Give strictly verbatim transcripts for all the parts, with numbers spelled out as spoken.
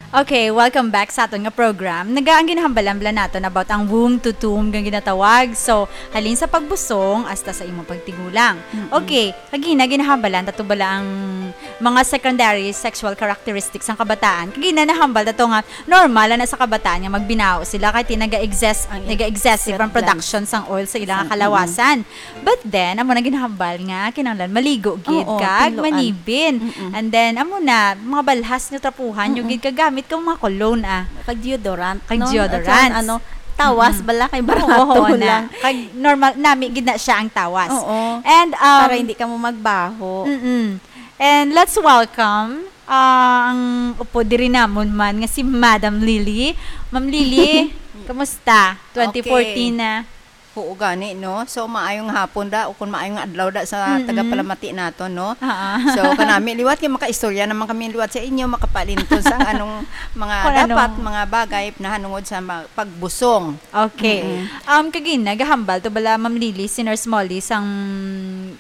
Okay, welcome back sa aton nga program. Naga ang ginahambalan bala naton about ang womb to tomb nga ginatawag. So, halin sa pagbusong hasta sa imong pagtigulang. Mm-mm. Okay, kagina ginahambalan tato bala ang mga secondary sexual characteristics sang kabataan. Kagina nahambal tato nga normal na sa kabataan nga magbinaho sila kay ti naga-excess, Ang naga-excessive ang excess blood. production sang oil sa ilang Sang, kalawasan. But then, amo na ginahambal nga kinahanglan maligo gid Oo, kag tiluan. manibin. Mm-mm. And then, amo na, mga balhas nga trapuhan, yung Mm-mm. gid kagamit kang mga cologne, ah. Kag deodorant, Kag no? deodorant. At saka, ano, tawas Mm-mm. bala kay Oo, barato oo, na. lang. Kag normal, nami gid na siya ang tawas. Oo. And, um, Para hindi ka mo magbaho. Mm-mm. And let's welcome, ah, ang upod diri namon man nga si Madam Lily. Ma'am Lily, kumusta? Twenty fourteen Okay. na. Oo, gani, no? So, maayong hapon da, o kung maayong adlaw da sa Mm-mm. tagapalamati nato, no? Ah. So, kanami, liwat kay makaistorya naman kami liwat sa inyo, makapalintun sa anong mga Kung dapat, anong mga bagay na hanungod sa ma-, pagbusong. Okay. Mm-mm. Um, kagina, gahambal to bala, Ma'am Lily, si Nurse Molly, sang,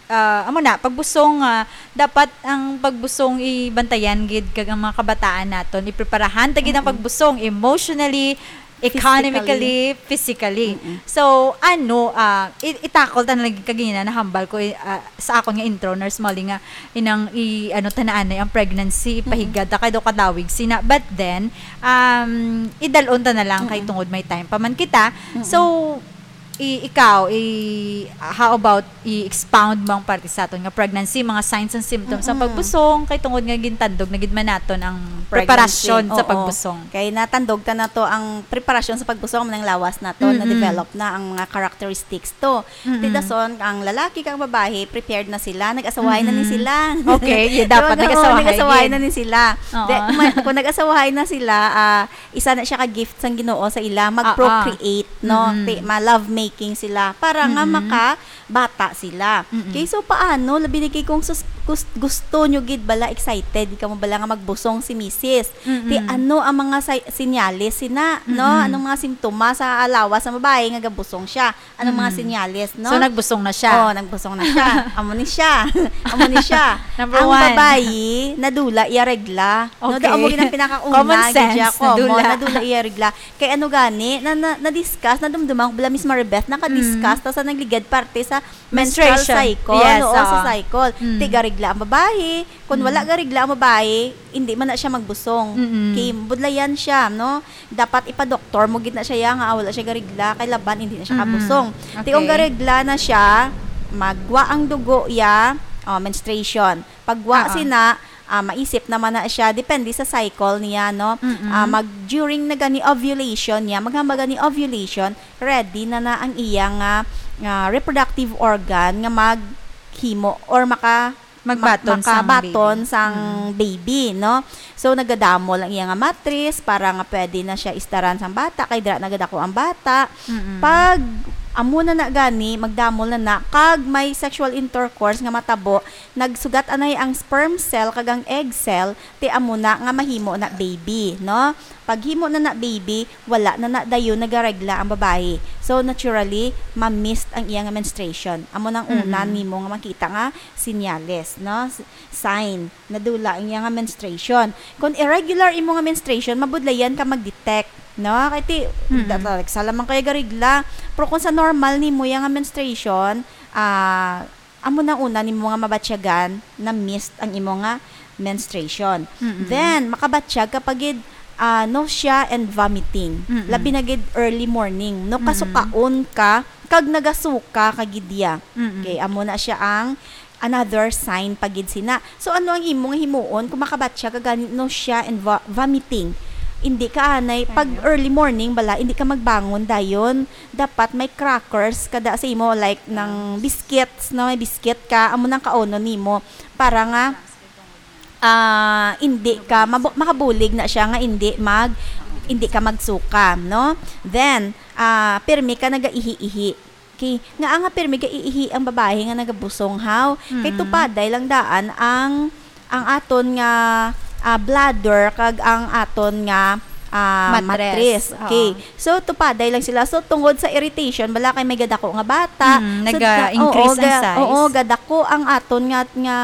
ah, amo na, pagbusong, ah, dapat ang pagbusong ibantayan gid kag ang mga kabataan naton, ipreparahan ta gid ang Mm-mm. pagbusong emotionally, economically, physically. Mm-mm. So, ano, ah, i-, itakol ta na lagi kagina, nahambal ko, eh, ah, sa akon nga intro, Nurse Molly, nga inang i-, ano, ta na anay ang pregnancy, Mm-mm. ipahigad ta kay daw kadawig sina. But then, um, idalon ta na lang kay Mm-mm. tungod may time pa man kita. Mm-mm. So, i-, ikaw, i-, how about i-expound mo ang parte sa aton nga pregnancy, mga signs and symptoms ang Mm-mm. pagbusong, kay tungod nga gintandog na gid man naton ang Pregnancy, preparasyon sa oo. pagbusong. Kay natandog ta na to ang preparasyon sa pagbusong, manang lawas na to, Mm-mm. na-develop na ang mga characteristics to. Mm-mm. Ti dason, ang lalaki kag babayi, prepared na sila, nag-asawahay na ni Mm-mm. sila. Okay, yeah, Di ba? dapat Oo, nag-asawahay nag-asawahay gid. na ni sila. Oo. Di, ma-, kung nag-asawahay na sila, ah, isa na siya ka gift sang Ginoo sa ila, Ah, ah. mag-procreate, no? Mm-mm. Ti, ma-lovemaking sila para nga Mm-mm. makabata sila. Mm-mm. Okay, so paano? Labi na kay kung sus-, gus-, gusto nyo gid bala, excited, di ka mo bala nga magbusong si misis. Mm-mm. Ti, ano ang mga say-, sinyales sina, no? Mm-mm. Anong mga simptomas sa lawas sa babayi nga gabusong siya? Anong mga Mm. sinyales, no? So, nagbusong na siya? Oh, nagbusong na siya. Amo ni siya. Amo ni siya. Number Ang one. babayi, nadula iya regla. No, Okay. daw amo gid ang pinakauna Common gid siya. sense, Common, nadula. nadula iya regla. Kay ano gani, na, na, na-discuss, nadumduman ko bala, Miss Maribeth, naka-discuss Mm. ta sa nagligad parte sa menstrual Menstruation. cycle, Yes, oo, sa oo. cycle. Mm. Ti garegla ang babayi. Kung Mm. wala garegla ang babayi, hindi man na siya magbusong. Mm-mm. Kay budlayan siya, no? Dapat ipa-doktor mo gid na siya, ya, nga, ah, wala siya garigla, kay laban, hindi na siya Mm-mm. kabusong. Ti kung Okay. garigla na siya, magwa ang dugo, ya, oh, menstruation. Pagwa Oo. sina, ah, maisip naman na siya, depende sa cycle niya, no? Mm-mm. Ah, mag, during na gani ovulation niya, maghambal gani ovulation, ready na na ang iya nga, nga reproductive organ nga maghimo or maka-, Magbaton mak-, sang makabaton baby. sang Mm. baby, no? So, nagadamol ang iya nga matris para nga pwede na siya istaran sang bata, kay dira nagadako ang bata. Mm-mm. Pag amo na na gani, magdamol na na, kag may sexual intercourse nga matabo, nagsugat anay ang sperm cell kag ang egg cell, ti amo na nga mahimo na baby, no? Paghimo na na baby, wala na na dayon nagaregla ang babayi. So, naturally, ma-missed ang iya nga menstruation. Amo nang una Mm-mm. nimo nga makita nga sinyales, no? S-, sign, nadula ang iya nga menstruation. Kung irregular imo nga menstruation, mabudlayan ka mag-detect, no? Kay ti, Mm-mm. da-, da-, sa lamang kaya garigla. Pero kung sa normal nimo iya nga menstruation, ah, amo na una nimo nga mabatyagan na missed ang imo nga menstruation. Mm-mm. Then, makabatyag ka pa gid, ah, nausea and vomiting. Mm-mm. Labi na gid early morning, no? Mm-mm. Kasukaon ka, kag nagasuka ka gid ya. Mm-mm. Okay, amo na siya ang another sign pa gid sina. So, ano ang imo nga himuon kung makabatyag ka gani nausea and vo-, vomiting? Hindi ka anay, pag Ano? early morning bala, hindi ka magbangon dayon. Dapat may crackers kada sa imo, like, ng biscuits, no? May biscuit ka, amo nang kaunon nimo. Para nga, ah, hindi ka, mabu-, makabulig na siya nga hindi mag, hindi ka magsuka, no? Then, ah, pirmi ka nagaihi-ihi. Okay, nga nga pirmi ka iihi ang babayi nga nagabusong, haw? Kay Mm. tupaday lang daan ang, ang aton nga, ah, bladder kag ang aton nga, ah, Matres. matris. Okay. Oo. So, tupaday lang sila. So, tungod sa irritation, bala kay may gadako nga bata. Mm, So, naga-increase oo, ang ga-, size. oo, gadako ang aton nga, nga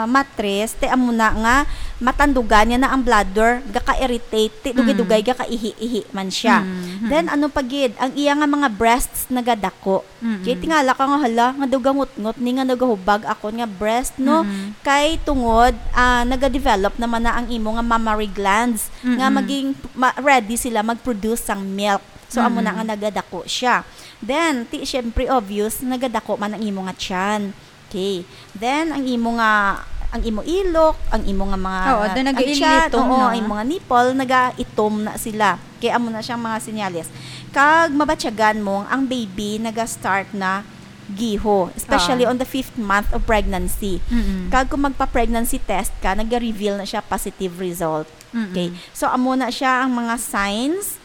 matris. Ti amo na nga, matandugan niya na ang bladder, gaka-irritate, ti dugay-dugay, Mm. gakaihi-ihi man siya. Mm, mm. Then, ano pa gid, ang iya nga mga breasts nagadako. Mm. Kay tingala ka nga, "Hala, nga daw gangutngot ni nga nagahubag akon nga breast, no?" Mm. Kay tungod, ah, nagadevelop naman na ang imo nga mammary glands, nga Mm. maging ma-, ready sila mag-produce sang milk. So, amo na Mm. nga nagadako siya. Then, ti, syempre, obvious, nagadako man ang imo nga tiyan. Okay. Then, ang imo nga, ang imo ilok, ang imo nga mga, Oo, doon ang tiyan, nag-iilitom, oo, no? Ang imo nga nipple, nagaitom na sila. Kaya amo na siyang mga senyales. Kag mabatyagan mo, ang baby naga-start na giho, especially Ah. on the fifth month of pregnancy. Mm-mm. Kag kung magpa-pregnancy test ka, nag-reveal na siya positive result. Mm-mm. Okay. So, amo na siya ang mga signs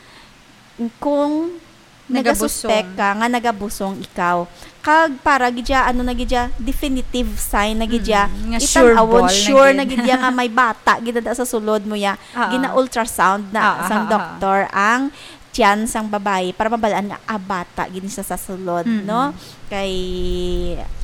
kung Nagabusong. nagasuspek ka nga nagabusong ikaw. Kag para gid siya, ano na gid siya, definitive sign na gid siya. Mm, nga sure Itan-awon, ball na sure gid. na gid siya nga may bata gid na sa sulod mo ya. Ah, ah. Gina-ultrasound na Ah, ah, sang ah, ah. doktor ang tiyan sang babayi para mabalaan nga, ah, bata gid siya sa sulod, Mm-mm. no? Kay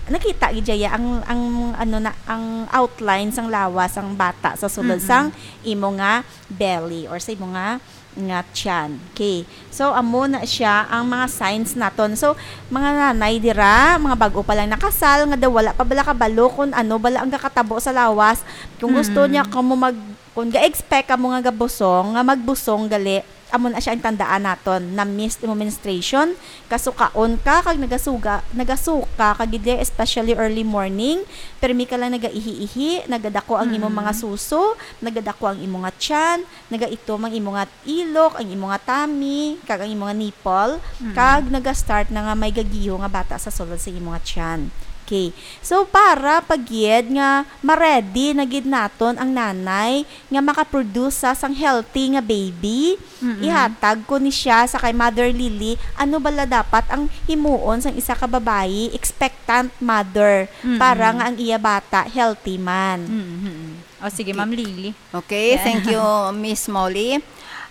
nakita gid siya ya ang, ang, ano na, ang outline sang lawas sang bata sa sulod Mm-mm. sang imo nga belly or sa imo nga nga tiyan. Okay. So, amo na siya ang mga signs naton. So, mga nanay dira, mga bag-o pa lang nakasal, nga daw wala pa bala kabalo kung ano bala ang gakatabo sa lawas. Kung gusto Mm. niya kamo mag-, kung ga-expect kamo nga gabusong, nga magbusong gali, amo na siya ang tandaan naton. Na-miss mo menstruation, kasukaon ka, kag nagasuga, nagasuka ka gid, especially early morning. Permi ka lang nagaihi-ihi, nagadako ang imong Mm. mga suso, nagadako ang imong nga tiyan, nagaitom ang imong nga ilok, ang imo nga tummy, kag ang imo nga nipple, Mm. kag naga-start na nga may gagiho nga bata sa sulod sa imo nga tiyan. Okay. So, para pa gid nga ma-ready na gid naton ang nanay nga makaproduce sa sang healthy nga baby, Mm-mm. ihatag ko ni siya sa kay Mother Lily, ano bala dapat ang himuon sang isa ka babayi, expectant mother, Mm-mm. para nga ang iya bata healthy man. Mm-mm. O, sige, Okay. Ma'am Lily. Okay, Yeah. thank you, Miss Molly.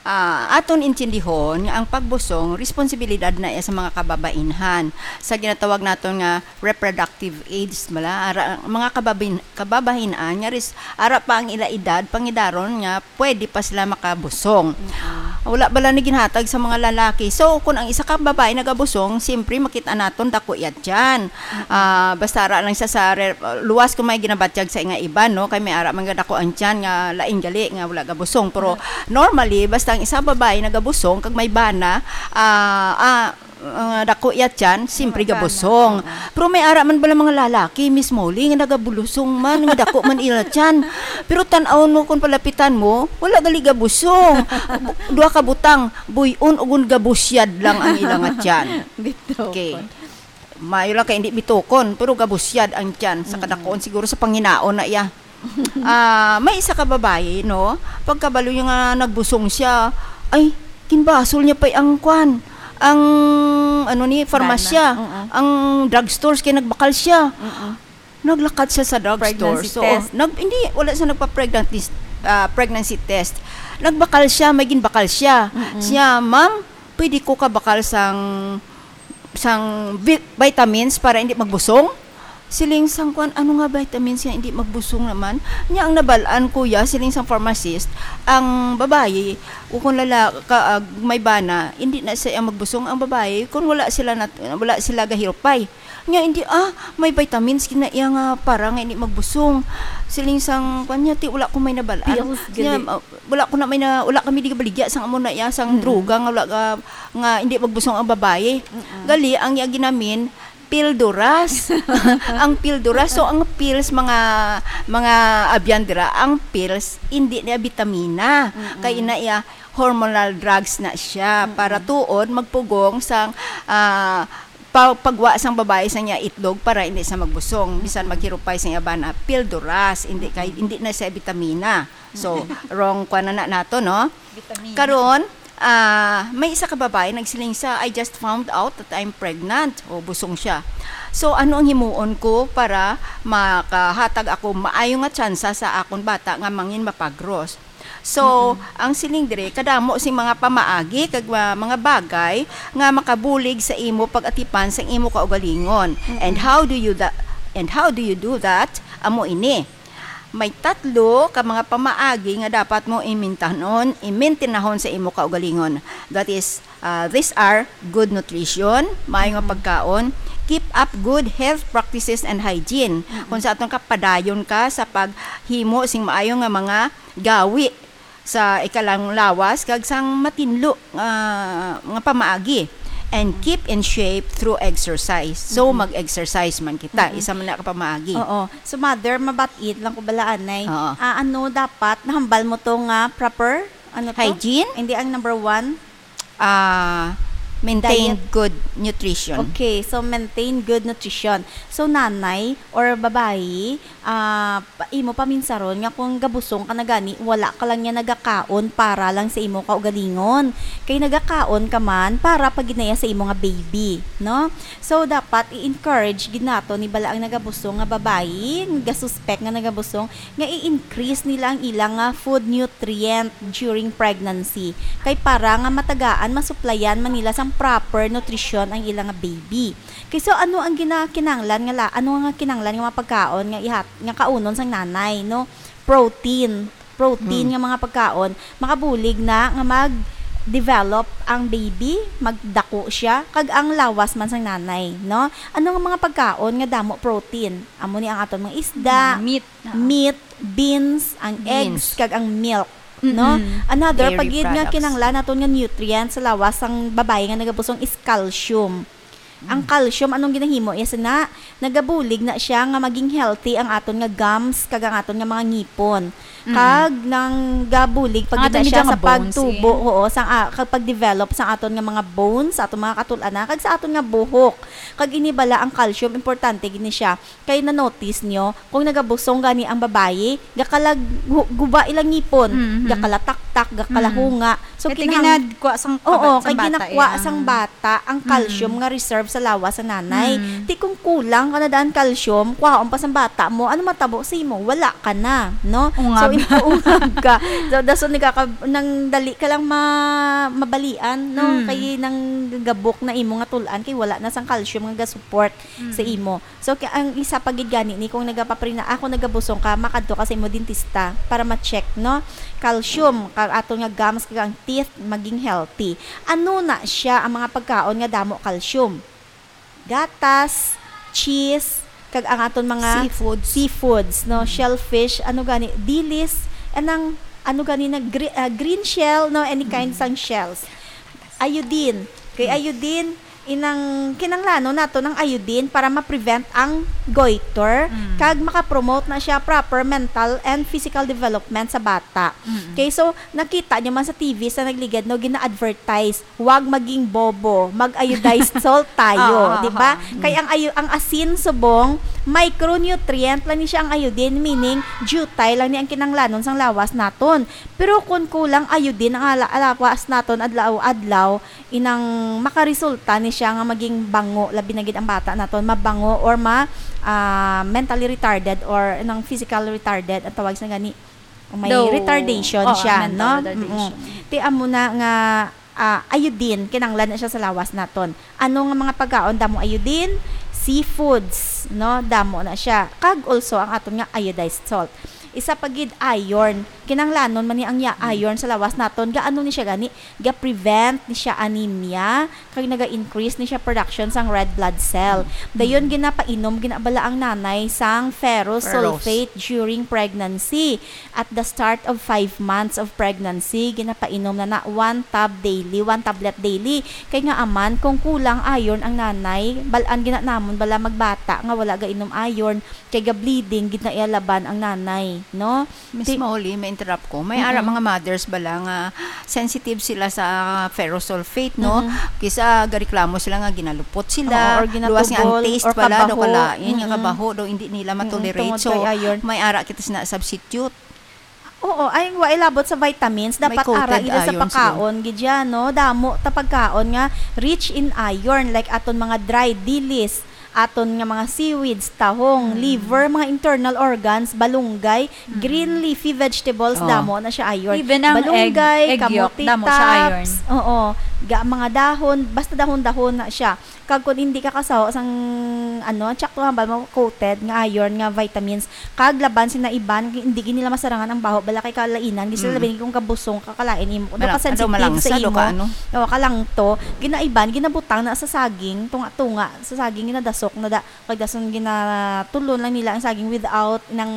Ah, aton intindihon nga ang pagbusong, responsibilidad na iya sa mga kababainhan. Sa ginatawag naton nga reproductive age, mala, ara, mga kababin-, kababain-an nga res-, ara pa ang ila edad, pangidaron nga pwede pa sila makabusong. Mm-mm. Wala bala ni ginhatag sa mga lalaki. So, kung ang isa ka babae nagabusong, siyempre makita naton dako iya tiyan. Mm-mm. Ah, basta ara lang siya sa re-, luwas kung may ginabatyag sa nga iban, no? Kay may ara man nga dako ang tiyan nga lain gali nga wala gabusong. Pero Mm. normally, basta ang isa babae nagabusong, kag may bana, ah, ah, ah, dako iya tiyan, siyempre Mga bana, gabusong. oo. Pero may ara man bala mga lalaki, Miss Molly, nga nagabulusong man, nga dako man ila tiyan. Pero tan-awon mo kung palapitan mo, wala gali gabusong. Bu-, duha ka butang, buy-on ug gabusyad lang ang ila nga tiyan. Bitaw Okay. pa. Maayo lang kay hindi bitukon, pero gabusyad ang tiyan sa Mm-mm. kadakuon siguro sa panghinaon na iya. Ah, may isa ka babayi, no? Pagkabalo niya nga nagbusong siya, ay, ginbasol niya pa ang kwan, ang, ano ni, farmasya, Bana. Mm-mm. ang drugstores kay nagbakal siya. Mm-mm. Naglakat siya sa drugstore. Pregnancy So, test. nag-, hindi, wala siya nagpa-pregnancy, ah, pregnancy test. Nagbakal siya, may ginbakal siya. Mm-mm. Siya, "Ma'am, pwede ko kabakal sang, sang vi-, vitamins para hindi magbusong?" Siling sang kwan, "Ano nga vitamins nga hindi magbusong naman?" Nya ang nabal-an, kuya, siling sang pharmacist, ang babayi, o kung lala-, ka, ah, may bana, hindi na siya magbusong ang babayi kung wala sila nat-, wala sila gahirupay. Nya, hindi, ah, may vitamins gid na iya nga para nga hindi magbusong. Siling sang, kwan niya, "Ti, wala ko may nabal-an." Pills, Nya, gali. ah, wala ko na may na, wala kami di kabaligya sang amo na iya, sang Mm. droga nga wala ka, nga hindi magbusong ang babayi. Mm-mm. Gali, ang iya ginamin, pilduras. Ang pilduras. So, ang pills, mga, mga abyan dira, ang pills, hindi niya bitamina. Mm-mm. Kay ina iya, hormonal drugs na siya. Mm-mm. Para tuod, magpugong sang, ah, pa-, pagwa sang babayi sa niya itlog para hindi siya magbusong, bisan Mm-mm. maghirupay sa iya bana, pilduras, hindi kay, Mm-mm. hindi na siya bitamina. So, Mm-mm. wrong kwa na, na nato, no? Bitamina. Karon, ah, may isa ka babayi nagsiling siya, "I just found out that I'm pregnant." O, busong siya. So, ano ang himuon ko para makahatag ako maayo nga tsansa sa akon bata nga mangin mapagros? So, Mm-mm. ang siling diri, kadamo sing mga pamaagi kag, ah, mga bagay nga makabulig sa imo pag-atipan sang imo kaugalingon. Mm-mm. And how do you tha-, and how do you do that? Amo ini. May tatlo ka mga pamaagi nga dapat mo imintanon, imintinahon sa imo kaugalingon. That is, ah, these are good nutrition, maayo nga pagkaon, keep up good health practices and hygiene. Kung sa aton ka, padayon ka sa paghimo sing maayo nga mga gawi sa ikalang lawas kag sang matinlo nga, nga pamaagi, and keep in shape through exercise. So, mag-exercise man kita, isa man na ka pamaagi. Oo. So, mother, mabat-it lang ko bala anay. Oo. Ah, ano dapat nahambal mo to nga proper? Ano to? Hygiene? Hindi, ang number one. Ah, maintain Diet. Good nutrition. Okay, so maintain good nutrition. So, nanay or babayi, ah, pa-, imo paminsaron nga kung gabusong ka na gani, wala ka lang niya nagakaon para lang sa imo kaugalingon. Kay nagakaon ka man para pa gid na iya sa imo nga baby, no? So, dapat i-encourage gid nato ni bala ang nagabusong nga babayi, nga gasuspek nga nagabusong, nga i-increase nila ang ilang nga food nutrient during pregnancy. Kay para nga matagaan, masuplayan man nila sang proper nutrition ang ilang nga baby. Kay so, ano ang ginakinanglan nga la-, ano nga kinanglan nga mga pagkaon nga ihat-, nga kaunon sang nanay, no? Protein. Protein nga mga pagkaon, makabulig na nga mag-develop ang baby, magdako siya, kag ang lawas man sang nanay, no? Ano nga mga pagkaon nga damo protein? Amo ni ang aton mga isda, Mm, meat. Meat, beans, ang Beans. Eggs, kag ang milk, no? Mm-mm. Another Dairy pagid nga products. Kinahanglan naton nga nutrient sa lawas sang babayi nga nagabusong is calcium. Ang Mm. calcium, anong ginahimo iya sina? Nagabulig na siya nga maging healthy ang aton nga gums kag ang aton nga mga ngipon. Mm-mm. Kag nang gabulig pa Ang gid na aton siya gid sa nga bones, pagtubo, eh. Oo, sang, ah, kag pag-develop sang aton nga mga bones, sa aton mga katul-anan, kag sa aton nga buhok. Kag ini bala ang calcium, importante gid ni siya. Kay na-notice nyo, kung nagabusong gani ang babayi, gakalag-, hu-, guba ilang ngipon, Mhm. gakalataktak, gakalahunga. So, Kay kinahang-, ginadkwa sang Oo, kaba-, sang kay bata, ginakwa iya. sang bata ang Mm. calcium nga reserve sa lawas sa nanay. Mm. Ti kung kulang ka na daan calcium, kwaon pa sang bata mo, ano matabo sa imo? Wala ka na, no? Ungab. So, in-, ungab ka. So, dason nagkaka-, nang dali ka lang ma-, mabalian, no? Mm. Kay nang gabok na imo nga tul-an, kay wala na sang calcium nga ga-support Mm. sa imo. So, ki-, ang isa pa gid gani ni kung nagapaprina-, ako nagabusong ka, makadto ka sa imo dentista para ma-check, no? Calcium, kag aton nga gums, kag ang teeth, maging healthy. Ano na siya ang mga pagkaon nga damo calcium? Gatas, cheese, kag ang aton mga Seafoods. seafoods, no? Mm. Shellfish, ano gani, dilis, anang, ano gani na gre-, ah, green shell, no? Any kind Mm. sang shells. Iodine. Kay Mm. iodine, inang kinanglanon nato ng iodine para ma-prevent ang goiter, Mm. kag makapromote na siya proper mental and physical development sa bata. Mm. Okay, so, nakita nyo man sa T V sa nagligad, no, gina-advertise, "Huwag maging bobo, mag-iodized salt tayo," Oo, di ba? oo. Mm. Kay ang ayo-, ang asin subong, micronutrient lang ni siya ang iodine, meaning, jutay lang ni ang kinanglanon sang lawas naton. Pero kung kulang iodine ang ala-, lawas naton adlaw-adlaw, inang makaresulta ni siya nga maging bango, labi na gid ang bata naton, mabango or ma-, ah, mentally retarded or inang physical retarded, ang tawag sa gani, may Daw, retardation oo, siya, mental no? retardation. Mm-mm. Ti amo na nga, ah, iodine, kinanglan na siya sa lawas naton. Ano nga mga pagkaon damo iodine? Seafoods, no? Damo na siya. Kag also ang aton nga iodized salt. Isa pa gid, iron. Kinanglanon man ni ang ya-, Mm. iron sa lawas naton. Gaano ni siya gani? Ga-prevent ni siya anemia, kag naga-increase ni siya production sang red blood cell. Mm. Dayon, ginapainom gina bala ang nanay sang ferrous Ferrous. sulfate during pregnancy. At the start of five months of pregnancy, ginapainom na na one tab daily, one tablet daily. Kay nga aman, kung kulang iron ang nanay, bal-an gina namon bala magbata nga wala gainom iron, kay ga-bleeding gid na iya laban ang nanay, no? Miss Ti- Molly, may interrupt ko. May ara Mm-mm. mga mothers bala nga sensitive sila sa ferrosulfate, no? Mm-mm. Kisa gareklamo sila nga ginalupot sila. Oo, or Luwas nga ang ginatubol, taste or bala, daw kabaho. kalain, nga Mm-mm. kabaho, daw hindi nila Mm-mm, ma-tolerate. tungod So, kay iron. may ara kita sina substitute. Oo, ay, wa ilabot sa vitamins, May dapat coated ara ila sa iron pagkaon, siguro. gid yan, no? Damo ta pagkaon nga rich in iron, like aton mga dry dilis, aton nga mga seaweeds, tahong, Mm. liver, mga internal organs, balunggay, Mm. green leafy vegetables, Oo. damo na siya iron. Even ang egg, Balunggay, egg yolk, kamote damo siya iron. tops, oo, Ga, mga dahon, basta dahon-dahon na siya. Kag kung hindi ka kasaho sang, ano, tsakto hambal mo coated nga iron nga vitamins, kag laban sina iban, hindi gid nila masarangan ang baho, bala kay kalainan, di sila Mm. labi kung kabusong ka, kalain imo. Daw Malang-, ka sensitive daw malangsa, sa daw imo. ka ano? O, kalangto. Ginaiban, ginabutang na sa saging, tunga-tunga, sa saging, ginadasok na da, kag dason ginatulon lang nila ang saging without nang,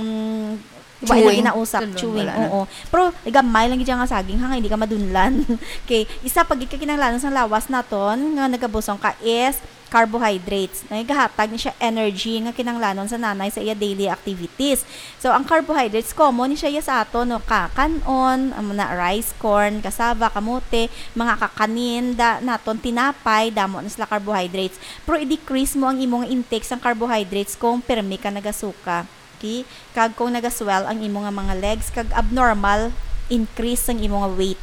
wala Chewing. ginausap, Tulon. chewing, Wala na. oo. Pero gamay lang gid siya nga saging, ha, nga hindi ka madunlan. Okay, isa pa gid ka kinahanglanon sa lawas naton nga nagabusong ka is carbohydrates. Nagahatag ni siya energy nga kinahanglanon sa nanay sa iya daily activities. So, ang carbohydrates, common ni siya sa aton, no? Ka-, kanon, amo na, rice, corn, cassava, kamote, mga kakanin, da, naton, tinapay, damo na sila carbohydrates. Pero i-decrease mo ang imong intake sang carbohydrates kung pirmi ka nagasuka. Okay? Kag kung nagaswell ang imo nga mga legs, kag abnormal increase sang imo nga weight.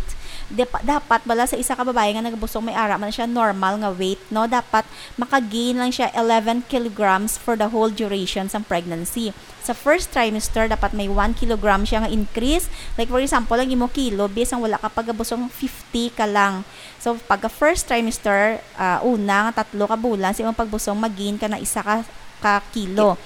Dep-, dapat bala sa isa ka babayi nga nagabusong, may ara man siya normal nga weight, no? Dapat maka-gain lang siya eleven kilograms for the whole duration sang pregnancy. Sa first trimester, dapat may one kilogram siya nga increase. Like, for example, ang imo kilo, bisang wala ka pagabusong, fifty ka lang. So, pagka first trimester, ah, una nga tatlo ka bulan sa imong pagbusong, mag-gain ka na isa ka, ka kilo.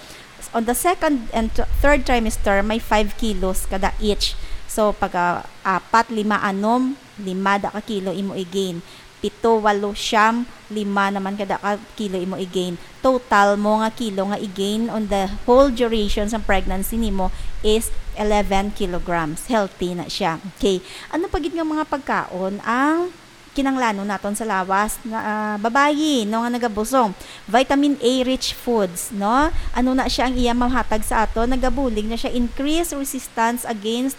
On the second and th-, third trimester, may five kilos kada each. So, pagka apat, lima, anom, lima da ka kilo imo i-gain. Pito, walo, siyam, lima naman kada ka kilo imo i-gain. Total mo nga kilo nga i-gain on the whole duration sa pregnancy nimo is eleven kilograms. Healthy na siya. Okay. Ano pa gid nga mga pagkaon ang kinanglanon naton sa lawas na, ah, babayi, no, nga nagabusong? Vitamin A rich foods, no? Ano na siya ang iya mahatag sa aton? Nagabulig na siya increase resistance against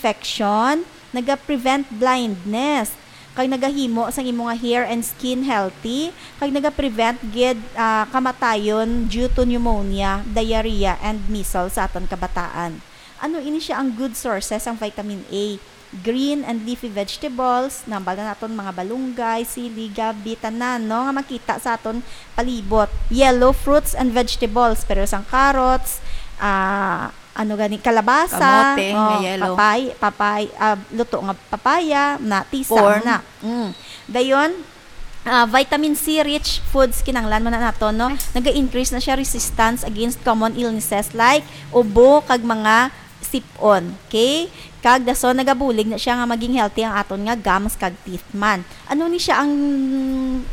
infection, naga-prevent blindness, kag nagahimo sang imo nga hair and skin healthy, kag naga-prevent gid, ah, kamatayon due to pneumonia, diarrhea, and measles sa aton kabataan. Ano ini siya ang good sources sang vitamin A? Green and leafy vegetables, nambal na naton mga balunggay, sili, gabi, tanan, no, nga makita sa aton palibot. Yellow fruits and vegetables, pero sang carrots, ah, ano gani, kalabasa, Kamote nga oh, yellow. papay-, papay-, ah, luto nga papaya, na, tisa, Corn. na. Mm. Dayon, ah, vitamin C rich foods kinanglan man na nato, no? Yes. Naga-increase na siya resistance against common illnesses like ubo kag mga sip-on. Okay? Kag dason nagabulig na siya nga maging healthy ang aton nga gums kag teeth man. Ano ni siya ang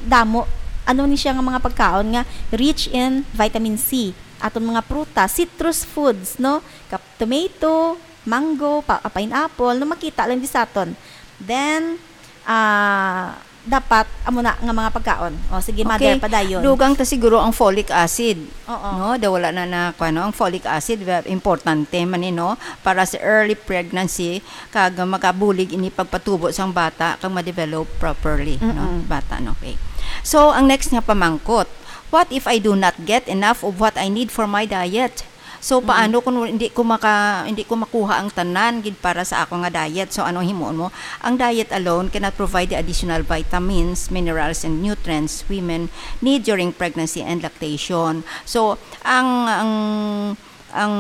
damo? Ano ni siya nga mga pagkaon nga rich in vitamin C? Aton mga prutas, citrus foods, no? Kap-, tomato, mango, pa-, ah, pineapple, no, makita lang di sa aton. Then, ah, dapat amo na nga mga pagkaon. O, sige, mother, Okay. padayon. Dugang ta siguro ang folic acid. Oo. No, daw wala na na, kuwan, no? Ang folic acid, ve-, importante man ni, no? Para sa early pregnancy, kag makabulig ini pagpatubo sang bata, kag ma-develop properly, no? Mm-mm. Bata, no? Okay. So, ang next nga pamangkot, what if I do not get enough of what I need for my diet? So, Mm. paano kung hindi ko maka-, hindi ko makuha ang tanan gid para sa ako nga diet? So, anong himuon mo? Ang diet alone cannot provide the additional vitamins, minerals, and nutrients women need during pregnancy and lactation. So, ang, ang, ang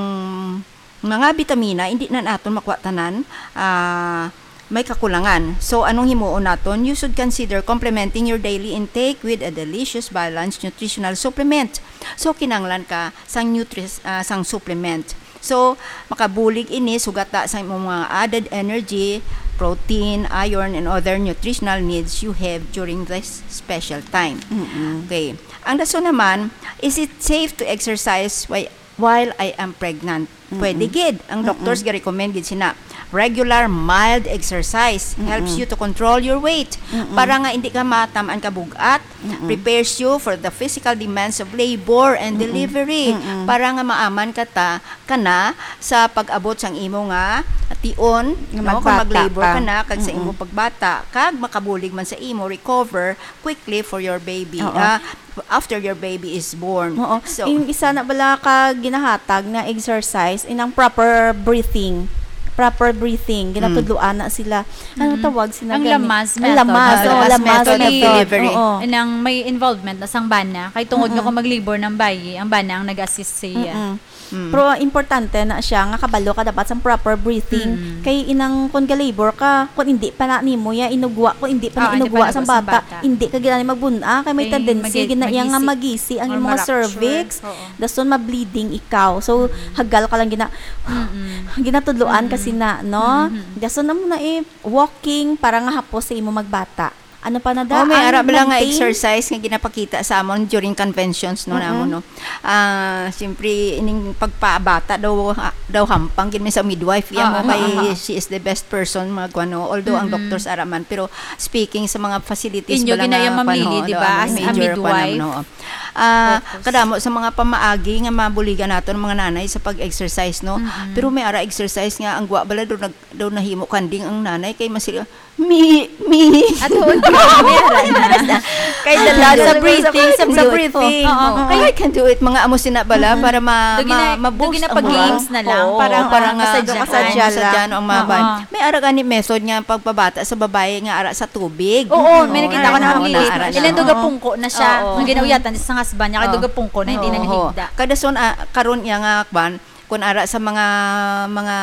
mga bitamina, hindi na naton makuha tanan, ah, may kakulangan. So, anong himuon naton? You should consider complementing your daily intake with a delicious, balanced nutritional supplement. So, kinanglan ka sang nutris-, ah, sang supplement. So, makabulig ini sugata sa imong mga added energy, protein, iron, and other nutritional needs you have during this special time. Mm-mm. Okay. Ang dason naman, is it safe to exercise whi-, while I am pregnant? Pwede Mm-mm. gid. Ang Mm-mm. doctors ga-recommend gid sina. Regular mild exercise helps Mm-mm. you to control your weight. Mm-mm. Para nga hindi ka matamaan ka bug-at, Mm-mm. prepares you for the physical demands of labor and Mm-mm. delivery. Mm-mm. Para nga maaman ka ta, ka na sa pag-abot sang imo nga tion, Nga no? Kung magbata mag-labor ka. ka na, kag sa Mm-mm. imo pagbata, kag makabulig man sa imo recover quickly for your baby. Oo. Ah, after your baby is born. Oo. So, Yung isa na bala ka ginahatag nga exercise, inang proper breathing. Proper breathing. Mm. Ginatudloan na sila. Ano Mm. tawag sila Ang gani? Lamas Ang method. Lamas, Ang oo, Lamas Lamas method of method. delivery. Oo. Nang may involvement na sang bana. Kay tungod nga Mm-mm. kung mag-labor ng bayi, ang bana ang nag-assist sa iya. Mm-mm. Mm. Pero importante na siya nga kabalo ka dapat sa proper breathing. Mm. Kay inang kun ga-labor ka, kun hindi pa na nimo ya inugwa, kun hindi pa na Ah, hindi pa inugwa sa nagwa sa bata, bata. Hindi ka gid ani magbun-a, kay may Kay tendency magis-, gid na iya nga magisi. Magisi ang Or imong ma-rupture. Cervix. Oo. Dason ma-bleeding ikaw. So, Mm. hagal ka lang gina-, Mm-mm. ginatudloan Mm-mm. kasi na, no? Mm-hmm. Dason amo na eh, walking para nga hapos sa imo magbata. Ano pa na da? Oh, may Ang ara bala nga magting- exercise nga ginapakita sa amon during conventions, no, Mm-mm. namo, no? Ah, siyempre, ining pagpabata daw, ah, daw hampang gid mi sa midwife. Iya Ah, mo ah, kay ah, ah. She is the best person, mga kuwan, no? Although ang Mm-mm. doctors ara man, pero speaking sa mga facilities Inyo bala ginaya, nga, Ma'am kuwan, Lily, ho, di no, ba? Ang As a major, kuwan, midwife. no? Ah, Focus. kadamo sa mga pamaagi nga mabuligan naton mga nanay sa pag-exercise, no? Mm-mm. Pero may ara exercise nga ang gwa bala daw nag-, daw nahimo kanding ang nanay kay masira, "Mi, mi." Ato, di ba? May ara na. Kay Ay, dala sa sa breathing, sa breathing. Oo, oo. Kay I can do it. Mga amo sina bala Mm-mm. para ma-, Doon gina-, ma-, ma-boost doon ang gina-pag-games moral. na lang Oo, para, para ah, nga masadyahan. masadya, no, ang mga Oo. ban-, May ara gani method nga pagpabata sa babae nga ara sa tubig. Oo, may Oo, nakita ko na ara, ang ara, lili. ara, Ilan ara. duga pungko na siya. Oo. Ang ginauyatan sa husband niya, kay Oo. duga pungko na, hindi na Oo. nahigda. Kada son, ah, karon niya nga, kwan, kun ara sa mga, mga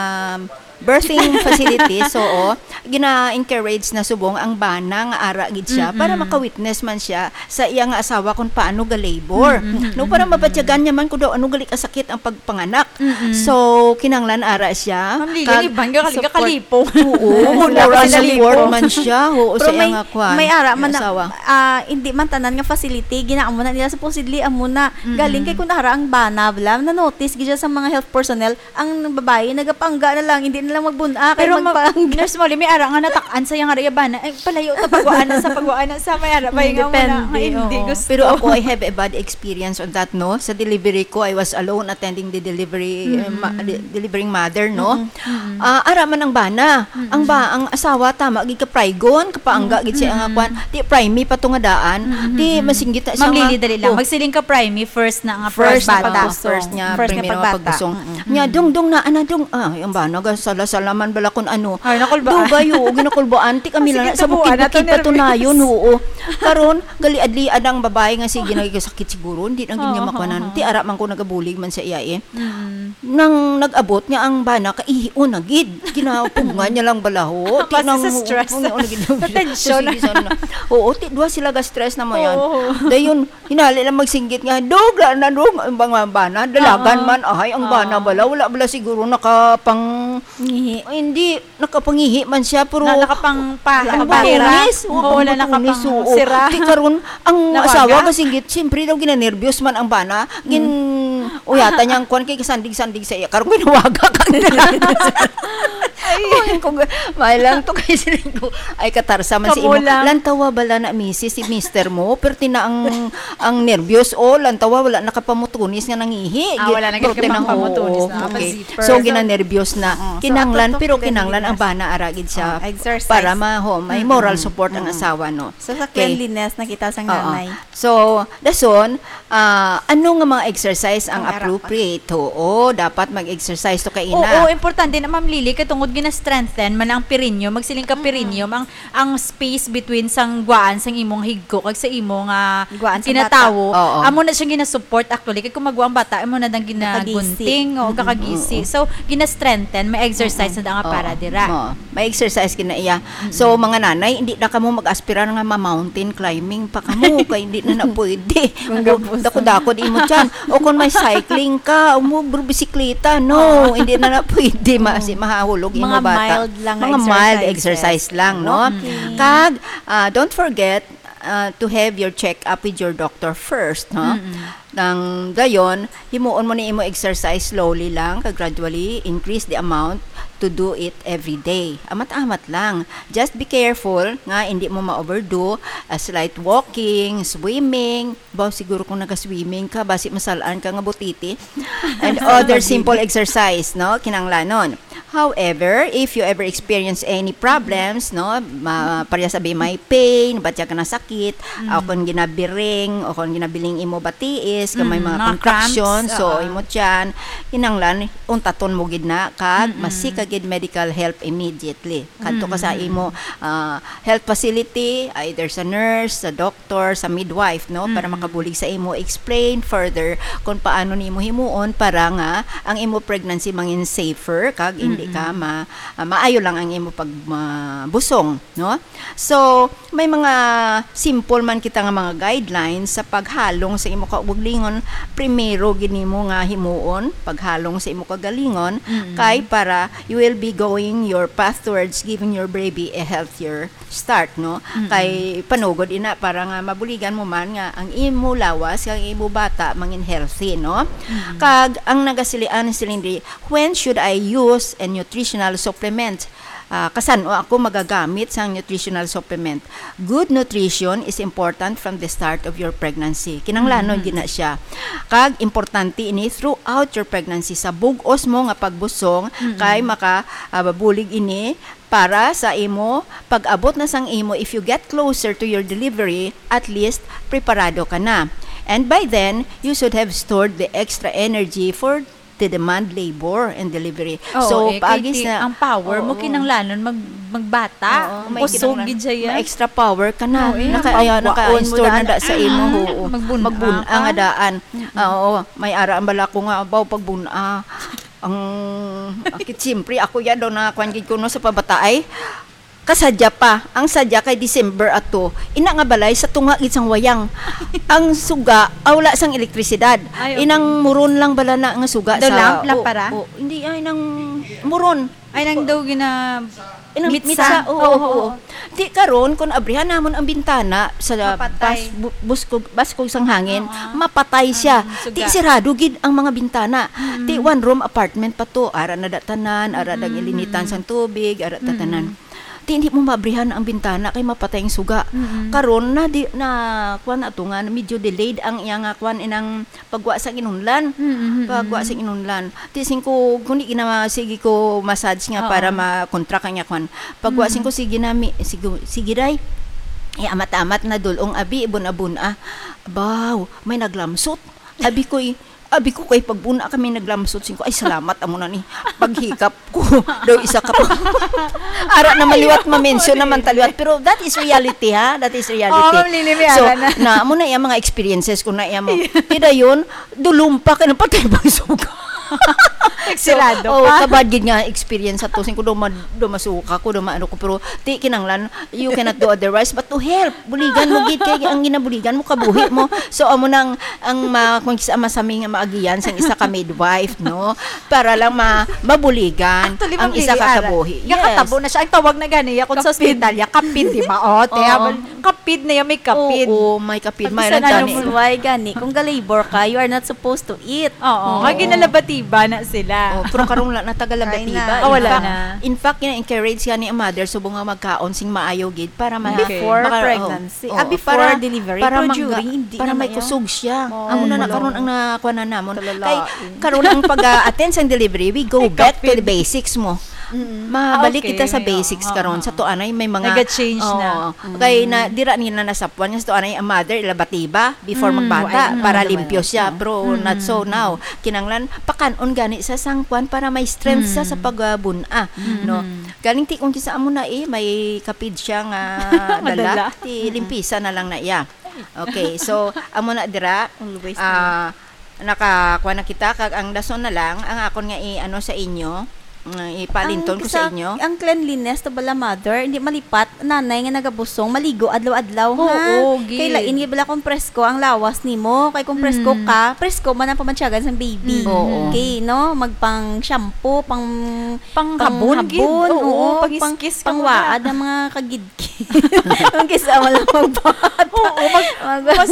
birthing facilities, oo, gina-encourage na subong ang bana nga ara gid siya para Mm-mm. maka-witness man siya sa iya nga asawa kung paano ga-labor. Mm-mm. No, para Mm-mm. mabatyagan niya man kung daw ano gali kasakit ang pagpanganak. Mm-mm. So, kinahanglan ara siya. Ma'am Lily, Kag iban ka, kali-, support. Kalipong. Oo, Wala moral pa sila support lipong. man siya. Oo, Pero sa iya may, nga kwan, may ara man na, asawa. ah, hindi man tanan nga facility, ginaamo na nila. Supposedly, amo na. Mm-mm. Galing kay kung ara ang bana, bla, na-notice gid siya sa mga health personnel, ang babae nagapangga na lang, hindi na lang magbun-a, kay Pero ma-, magpangga. Nurse Molly, may ara nga natak-an sa iyang ara, iya bana. Ay, palayo ta, pagwaan na sa, pagwaan na sa, may ara pa yung Depende, nga muna, nga hindi oo. gusto. Pero ako, I have a bad experience on that, no? Sa delivery ko, I was alone attending the delivery, uh, ma-, Mm-mm. de-, delivering mother, no? Mm-mm. Mm-mm. Ah, ara man ang bana. Mm-mm. Ang ba-, ang asawa, tama, gid ka praygon, kapaangga, Mm-mm. gid siya nga Mm-mm. kwan. Di, pry me pa to nga daan. Mm-mm. Di, masinggit na siya Ma'am nga, Lily, dali lang. oh. Magsiling ka, pry me first na nga First na pagbata. pag-, first niya, First niya primero nga pagbata. pagdusong. Mm-mm. Nya, dong, dong, na, ana, dong, ah, ang bana, ga, sala-sala man bala kun ano. Ay, nakulbaan. Dugay, oo, ginakulbaan. Ti kami Sige, lang sa tubuan bukid-bukid na to, patunayon, nervous. oo. Karon, galiad-liad ang babae nga sige, nagkasakit siguro, hindi na gid niya Oo, makuanan. oo. Ti ara man ko nagabulig man sa iya, eh. Mm. Nang nag-abot nga ang bana, kaihion na gid. Ginapugngan niya lang balaho. Ti Basta nang sa stress. Ano, ano gid? Sa tension. Sige, sana. Oo, ti duha sila ga-stress na mo yan. Oo. Dayon, hinali lang magsinggit nga, "Dog, la na, dog." Ang mga bana, dalagan Oo. man. Ahay, ang bana Oo. bala, wala bala siguro nakapang-, Ngihi. Ay, hindi, nakapangihi man siya, pero Na-, nakapang pa-, ang pahira. butunis, Oo, oo, wala ang butunis, nakapang oo. sira. Di karon, ang Nawaga. asawa kasinggit, siyempre daw ginanerbyos man ang bana. Gin-, Mm. uyatan niya ang kwan kay kasandig-sandig sa iya. Karon ginawaga ka. Ay. Ay, kung, may lang to kay siling ko. Ay, katarsa man sa Kamo imo. lang. Lantawa bala na misis si mister mo, pero tina ang, ang nerbyos, oh, lantawa wala nakapamutunis nga nangihi. Ah, wala na Gi-, gid prote na, kapamutunis oo, na. okay. Zipper. So, So, ginanerbyos na. Mm. So, Kinanglan, ato to pero kinanglan ang ginanerbyos. bana ara gid siya Oh, exercise. para ma-, ho, may Mm-mm. moral support ang Mm-mm. asawa, no? So, sa Okay. cleanliness, nakita sang Oo. nanay. So, dason, ah, ano nga mga exercise ang Ang ara pa. appropriate? Oo, dapat mag-exercise to kay ina. Oo, importante na, Ma'am Lily, kay tungod gina-strengthen man ang perineum, magsiling ka Mm-mm. perineum, ang, ang space between sang gwaan sang imong higko kag sa imo nga Gwaan sa kinatawo. bata. Oo. Amo na siya gina-support actually, kay kung magwa ang bata, amo na dang Kakagisi. ginagunting o Mm-mm. kakagisi. Oo. So, gina-strengthen, may exercise Mm-mm. na dang Oo. para dira. Oo. May exercise gina iya. So, Mm-mm. mga nanay, hindi na kamo mag-aspirar nga ma-mountain climbing pa kamo, kay hindi na na pwede. Ang gabos. Dako-dako di mo tiyan. O kung may cycling ka, o mo bisikleta, no, Oo. hindi na na pwede. Ma-, Oo. si mahahulog imo Mga bata. mild lang nga Mga mild exercises. exercise lang, no? Okay. Kag, ah, don't forget, ah, to have your check-up with your doctor first, no? Mm-mm. Nang dayon, himuon mo ni imo exercise slowly lang, kag gradually increase the amount to do it every day. Amat-amat lang. Just be careful nga hindi mo ma-overdo, a slight walking, swimming. Baw, siguro kung naga-swimming ka, basi masalaan ka nga butiti. And other simple exercise, no? Kinanglanon. However, if you ever experience any problems, no, ma-, pareha sabi may pain, batya ka na sakit, o kung ginabiring, o kung ginabiling imo batiis, kag may Mm, mga mga contraction, cramps, so oo. imo tiyan, kinahanglan, untaton mo gid na, kag Mm-mm. masika gid medical help immediately. Kadto ka sa Mm-mm. imo, ah, health facility, either sa nurse, sa doctor, sa midwife, no, para Mm-mm. makabulig sa imo, explain further kung paano nimo himuon para nga ang imo pregnancy mangin safer, kag hindi ka Mm-mm. ma-, ah, maayo lang ang imo pag, ah, busong, no? So, may mga simple man kita nga mga guidelines sa paghalong sa imo kaugalingon. Primero gid nimo nga himuon, paghalong sa imo kaugalingon, Mm-mm. kay para you will be going your path towards giving your baby a healthier start, no? Mm-mm. Kay panugod ina para nga mabuligan mo man nga ang imo lawas, ang imo bata mangin healthy, no? Mm-mm. Kag ang nagasilian ni Celine Ray, "When should I use a nutritional supplement?" Ah, kasan-o ako magagamit sang nutritional supplement? Good nutrition is important from the start of your pregnancy. Kinahanglanon Mm-hmm. gid na siya. Kag importante ini throughout your pregnancy. Sa bug-os mo nga pagbusong, Mm-mm. kay maka, ah, mabulig ini para sa imo pag-abot na sang imo, if you get closer to your delivery, at least preparado ka na. And by then, you should have stored the extra energy for the demand labor and delivery. Oo, So, eh, kay paagi ti-, sa ang power mo Oo. kinahanglanon mag-, magbata. Oo, may Kusog kinahanglan-, gid siya yan. may extra power ka na. Oo, eh. Naka-, Ang ayan, pagwaon mo naka-install na daan. da sa imo. Mm, Oo. magbun-a Magbun-a ka. nga daan. Mm-mm. Ah, oo, may ara ang bala ko nga, abaw, pagbun-a. Ang, akit, siyempre, ako yan daw na, kwan gid ko, no, sa pabata ay, kasadya pa. Ang sadya kay December ato. Ina nga balay sa tunga gid sang wayang. Ang suga, ah, wala sang elektrisidad. Ay, okay. Inang muron lang bala na nga suga Daw sa lamp, o-, lampara? o-, hindi, ay, nang muron. Ay, nang daw gina-, Inang mitsa. mitsa, oo, Oo, oo. oo. Di karon, kung abrihan namon ang bintana sa Mapatay. bas-, bu-, buskog, baskog sang hangin, Oo. mapatay siya. Mm, suga. Di sirado gid ang mga bintana. Mm. Di one room apartment pa to. Ara na da tanan, ara da Mm. ilinitan sang tubig, ara da Mm. tanan. Di, hindi mo mabrihan ang bintana kay mapatay ang suga. Mm. Karon na di, na, kuwan ato nga, medyo delayed ang iya nga, kuwan, inang pagwa sa inunlan. Mm, mm, Pagwa mm. sa inunlan. Ti sing ko, kundi gina-, sige ko massage nga Oo. para makontra ka niya, kwan. Pagwa Mm. sing ko, sige na, mi-, sige, sige, day. Eh, amat-amat na dulong, abi, ibon-abon, ah. Baw, may naglamsot. Abi ko'y, abi ko kay pagbuna kami naglamsot, sing ko, "Ay, salamat, amo na ni." Paghikap ko, daw isa ka pa. Ara na maliwat, ma-mention naman taliwat. Pero that is reality, ha? That is reality. Oo, Ma'am Lily, may So, ara na. na, amo na yung mga experiences ko na yung mga, tida yun, dulumpa ka na patay bang suga. Nagsirado So, oh, pa. kabad gid nga experience sa to. Sing ko daw ma-, daw masuka ko, daw maano ko. Pero, ti, kinanglan, you cannot do otherwise but to help. Buligan mo gid kay ang ginabuligan mo, kabuhi mo. So, amo nang, ang ma-, kung sa masami nga maagian sang isa ka midwife, no? Para lang ma-, mabuligan Actually, ang Ma'am isa Lily, ka ara, kabuhi. nga Yes. katabo na siya. Ang tawag na gani, ya, kung sa Kapid. ospital, ya, kapid, di ba? O, te, Oo. abal-, kapid na yan, may kapid. Oo, may kapid. Pag May isa lang na gani. yung Why gani? Kung ga-labor ka, you are not supposed to eat. Oo, Oo. nga ginalabatiba na sila. Oh, pero karon wala na taga Ay, labatiba. na. Ah, wala In fact, na. in fact, gina-encourage siya ni ang mother, subong nga magkaon sing maayo gid para ma-, Before maka-, oh, pregnancy. oh, Ah, before para, delivery. para Pero mangga-, during, hindi para na may na yan. kusog siya. Oh, Amo na na wala. karon ang nakuha na namon. Talalain. Kay karon ang pag-attend sang delivery, we go Ay, back to the kapit. basics mo. Mm. Mabalik Ah, okay, kita sa may, basics oo, karon. oo, Sa oo. tuanay may mga Naga-change na. Oo. Mm. Kay na, dira nila nasapuan nga sa tuanay ang mother, ilabatiba before Mm. magbata, Ay, mm. para Ano limpyo naman? siya. Mm. Pero Mm. not so now. Kinanglan, pakan-on gani sa sangkwan para may strength siya sa Mm. pagbuna, Mm. no? Mm. Galing ti kung kisa amo na eh, may kapid siya nga Madala. dala, ti Mm. limpisa na lang na iya. Okay, so, amo na dira, Always ah, nakakuha na kita, kag ang dason na lang, ang akon nga i-, ano sa inyo, nga ipalinton Ang ko sa sa, inyo. ang cleanliness, to bala, mother, hindi malipat, nanay nga nagabusong, maligo adlaw-adlaw, Oo, ha? gid. Kay lain gid bala kung presko ang lawas nimo, kay kung presko Mm. ka, presko man ang pamantyagan sang baby. Mm. Oo. Okay, no? Magpang shampoo, pang, Pang pang habon, gid. habon, Oo, oo, pang pang, iskis ka pang muna. waad ang mga kagid Ang kisa mo lang magbuhat. Oo, mag-, Mag-, mas,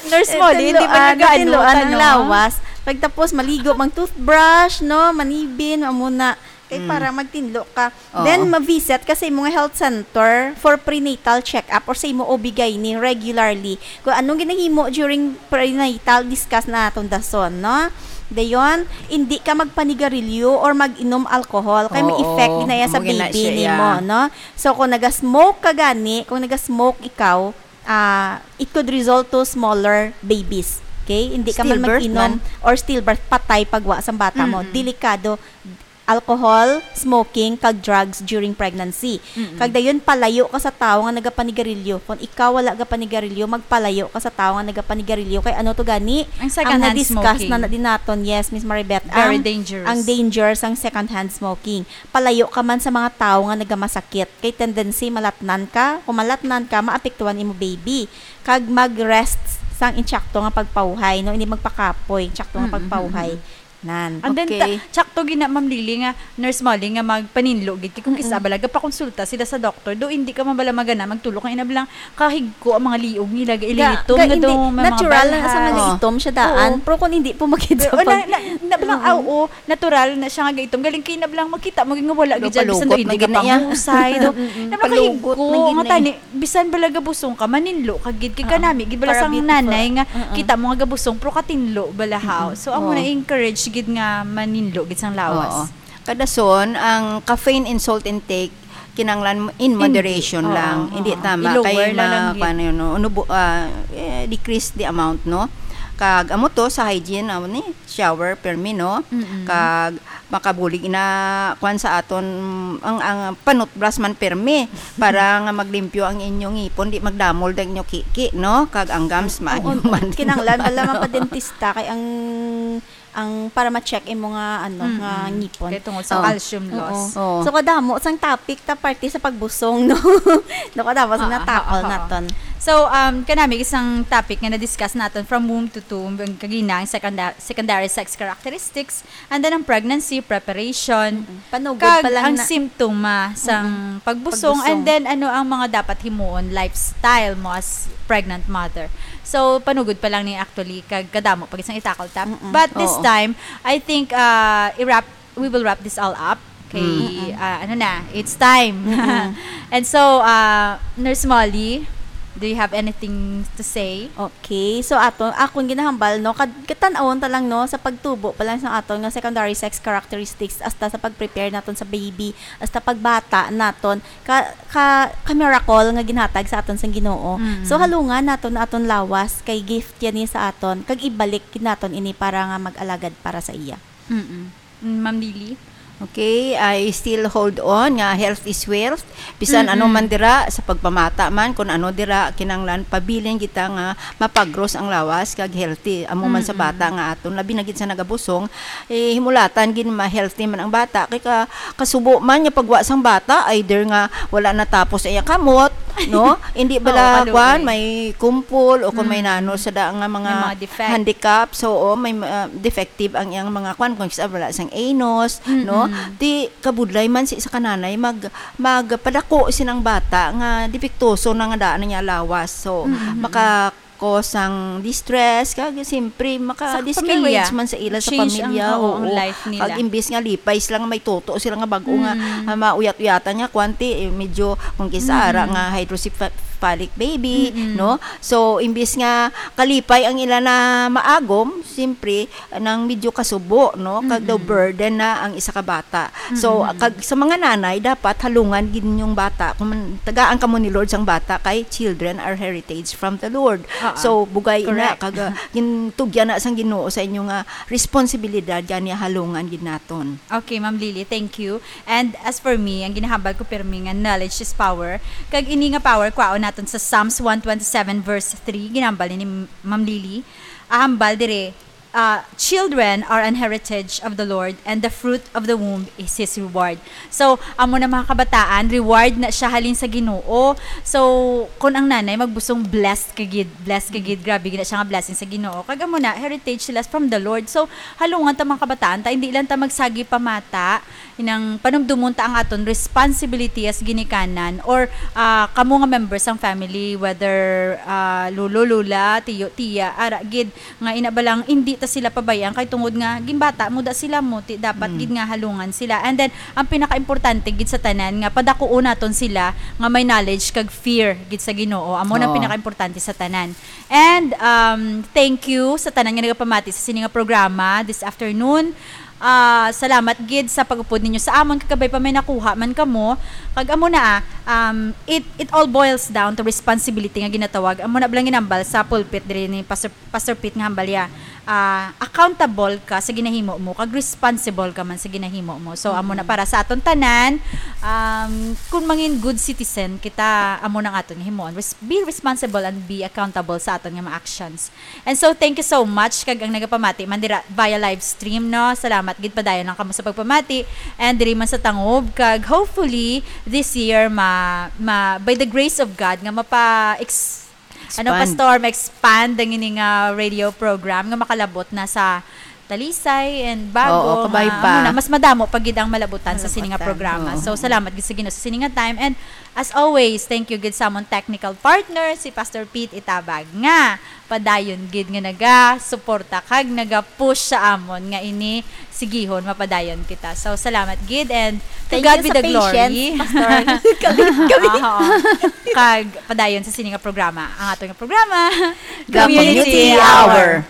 nurse mo, di, hindi man tinluan, nag-aano tinluan ka, ang no? lawas. Pagtapos, maligo, mang toothbrush, no? Manibin, amo na. Kay Mm. para magtinlo ka. Oo. Then, ma-visit ka sa imong health center for prenatal check-up or sa imong O B gynae regularly. Kung anong ginahimo during prenatal, discuss na atong dason, no? Dayon, hindi ka magpanigarilyo or mag-inom alcohol. Kay may Oo, effect na yan sa amo gina baby siya, nimo, yeah. No? So, kung naga-smoke ka gani, kung naga-smoke ikaw, ah, it could result to smaller babies. Okay? Hindi ka man Stillbirth mag-inom man. Or stillbirth, patay pagwa sang bata mo. Mm-mm. Delikado. Alcohol, smoking, kag drugs during pregnancy. Mm-mm. Kag dayon, palayo ka sa tawo nga nagapanigarilyo. Kung ikaw wala gapanigarilyo, magpalayo ka sa tawo nga nagapanigarilyo. Kay ano to gani? Ang second hand smoking. Ang na-discuss na, na din naton, yes, Miss Maribeth. Very dangerous. Ang, ang danger sang second hand smoking. Palayo ka man sa mga tawo nga nagamasakit. Kay tendency, malatnan ka. Kung malatnan ka, maapektuhan imo baby. Kag mag-rest sang insakto nga pagpawhay, no? Hindi magpakapoy, insakto nga Mm, mm, pagpawhay. Mm. Nan. And then, Okay. ta-, tsakto gina, Ma'am Lily, nga, Nurse Molly, nga magpaninlo gid. Kay kung kisa Mm-mm. bala, gapakonsulta sila sa doktor, do hindi ka man bala magana, magtulok ang ina bala, kahigko ang mga liog nila, Ga-, gailitom ga-, na hindi, do, may mga natural na sa balha. Mga itom siya daan, Oo. Pero kung hindi po makita Pero, pag na, na, na, bala, Mm-mm. ah, oo, natural na siya nga gaitom. Galing kay na bala, makita mo, nga wala Do, gid siya, bisan do palukot hindi na gid na iya. Gapangusay, do. Mm-mm. Na Palukot makahigko, na gid nga na tani, eh. Bisan bala gabusong ka, maninlo ka gid. Kay Oo. Kanami gid bala Para sang beautiful. Nanay nga Mm-mm. kita mo nga gabusong, pero katinlo bala, haw. Mm-mm. So, amo Oo. na encourage gid nga maninlo gid sang lawas. Oo. Kadason, ang caffeine and salt intake, kinahanglan in Hindi. Moderation Oo, lang. Oo. Hindi tama. I-lower Kay lang ma-, gid. Kuwan yun, no? Ano bu-, ah, eh, decrease the amount, no? Kag amo to sa hygiene, amo ni, shower, permi, no? Mm-mm. Kag makabulig na, kuwan sa aton, ang, ang panutbras man permi, para nga maglimpyo ang inyong ngipon, di magdamol ang inyong kiki, no? Kag ang gums, Oo, maayo man. Kinahanglan bala mapadentista kay ang, ang para ma-check imo nga, ano, Mm-mm. nga ngipon. Kay tungod sa Oo. calcium Oo. loss. Oo. So, kadamo sang topic ta parte sa pagbusong, no? No, kadamo sa Oo, na-tackle oo, oo. naton. So, um, kanami isang topic nga na-discuss naton from womb to tomb, ang kagina, ang secondar-, secondary sex characteristics, and then ang pregnancy preparation, Mm-mm. Panugod kag pa lang ang na simptoma sang Mm-mm. pagbusong, Pagbusong. And then ano ang mga dapat himuon, lifestyle mo as pregnant mother. So, panugod pa lang ni actually, kag kadamo pa gid sang i-tackle ta. Mm-mm. But this Oo. time, I think, uh, i-wrap, we will wrap this all up. Kay, Mm-mm. uh, ano na, it's time. Mm-mm. And so, uh, Nurse Molly, do you have anything to say? Okay. So, ato, akon ginahambal, no, kad-, katan-awon ta lang, no, sa pagtubo pa lang sa aton nga secondary sex characteristics, hasta sa pag-prepare naton sa baby, hasta pagbata naton, ka, ka, ka miracle nga ginhatag sa aton sang Ginoo. Mm. So, halungan naton na aton lawas, kay gift yan ni sa aton, kag ibalik gid naton ini para nga mag-alagad para sa iya. Mm-mm. Mm, Ma'am Lily? Okay, I still hold on nga health is wealth. Bisan ano Mm-mm. man dira, sa pagpamata man, kung ano dira, kinahanglan pabilin kita nga mapagros ang lawas kag healthy. Amo man sa Mm-mm. bata nga aton, labi na gid sa nagabusong, eh, himulatan gid ma-healthy man ang bata. Kay ka-, kasubo man nga pagwa sang bata, either nga wala natapos ang iya kamot, no? Hindi Oo, bala, kaluoy. Kwan, may kumpol o kung may Mm. nano sa da nga mga May mga defect. handicap. So, oo, may, uh, defective ang iyang mga kwan, kung sa wala sang anus, no? Mm-mm. Di kabudlay man si sa kananay mag, magpadako sinang bata nga depektoso na nga daan na niya lawas. So, Mm-mm. maka-cause sang distress, kag siyempre, Sa maka-discourage pamilya. man sa ila sa Change ang, pamilya, oo, ang oo. life nila. Kag imbis nga lipay sila nga may toto sila nga bag-o nga, Mm. ah, mauyat-uyatan nga kwanti, eh, medyo kung kisa Mm. ara nga hydrocephalic baby, Mm. no? So, imbis nga kalipay ang ila na maagom, siyempre, nang medyo kasubo, no? Kag daw Mm-mm. burden na ang isa ka bata. So, Mm-mm. kag sa mga nanay, dapat halungan gid ninyong bata. Kung man, tagaan kamo ni Lord sang bata, kay children are heritage from the Lord. Ah, ah. So, bugay ina, Correct. kag, ah, gintugyan na sang Ginoo sa inyo nga responsibilidad, gani halungan gid naton. Okay, Ma'am Lily, thank you. And as for me, ang ginahambal ko pirmi nga knowledge is power. Kag ini nga power, kwaon naton sa Psalms one twenty-seven verse three, ginahambal ni Ma'am Lily. Ahambal dire, uh, "Children are an heritage of the Lord, and the fruit of the womb is His reward." So, amo na, mga kabataan, reward na siya halin sa Ginoo. So, kung ang nanay magbusong, blessed ka gid, blessed ka gid, grabe gid na siya nga blessing sa Ginoo. Kag amo na, heritage sila from the Lord. So, halungan ta, mga kabataan, ta hindi lang ta magsagi pamata, inang panumdumon ta ang aton responsibility as ginikanan or, ah, kamo nga members sang family, whether, ah, lolo, lola, tiyo, tiya, ara gid, nga ina ba lang, hindi sila pabayaan kay tungod nga ginbata mo da sila mo, ti dapat gid nga halungan sila. And then ang pinakaimportante gid sa tanan nga padakuon naton sila nga may knowledge kag fear gid sa Ginoo. Amo na ang pinakaimportante sa tanan. And um, thank you sa tanan nga nagapamati sa sini nga programa this afternoon. Ah, salamat gid sa pag-upod ninyo sa amon, kag kabay pa may nakuha man kamo. Kag amo na, ah, um, it it all boils down to responsibility nga ginatawag. Amo na bala ang ginambal sa pulpit diri ni Pastor Pastor Pete nga hambal ya. Ah, accountable ka sa ginahimo mo, kag responsible ka man sa ginahimo mo. So amo na para sa aton tanan, um, kung mangin good citizen kita, amo nang aton himuon. Res- be responsible and be accountable sa aton nga mga actions. And so, thank you so much kag ang nagapamati man dira via live stream, no? Salamat gid, padayon lang kamo sa pagpamati. And diri man sa Tangub, kag hopefully this year ma, ma by the grace of God nga mapa ex, ano, Expand. Pastor, ma-expand ang ini nga radio program nga makalabot na sa Talisay and Bago. Oo, kabay nga, pa. Amo na, mas madamo pa gid ang malabutan sa sini nga Malabutan, programa. oo. So salamat gid sa Ginoo sa sini nga time. And as always, thank you gid sa amon technical partner, si Pastor Pete Itabag, nga padayon gid nga naga-suporta kag naga-push sa amon nga ini sigihon, mapadayon kita. So salamat gid, and to Thank God you be sa the glory. patience, Pastor. Kami, kami. Aha. Kag padayon sa sini nga programa, ang ato nga programa, The Community Hour.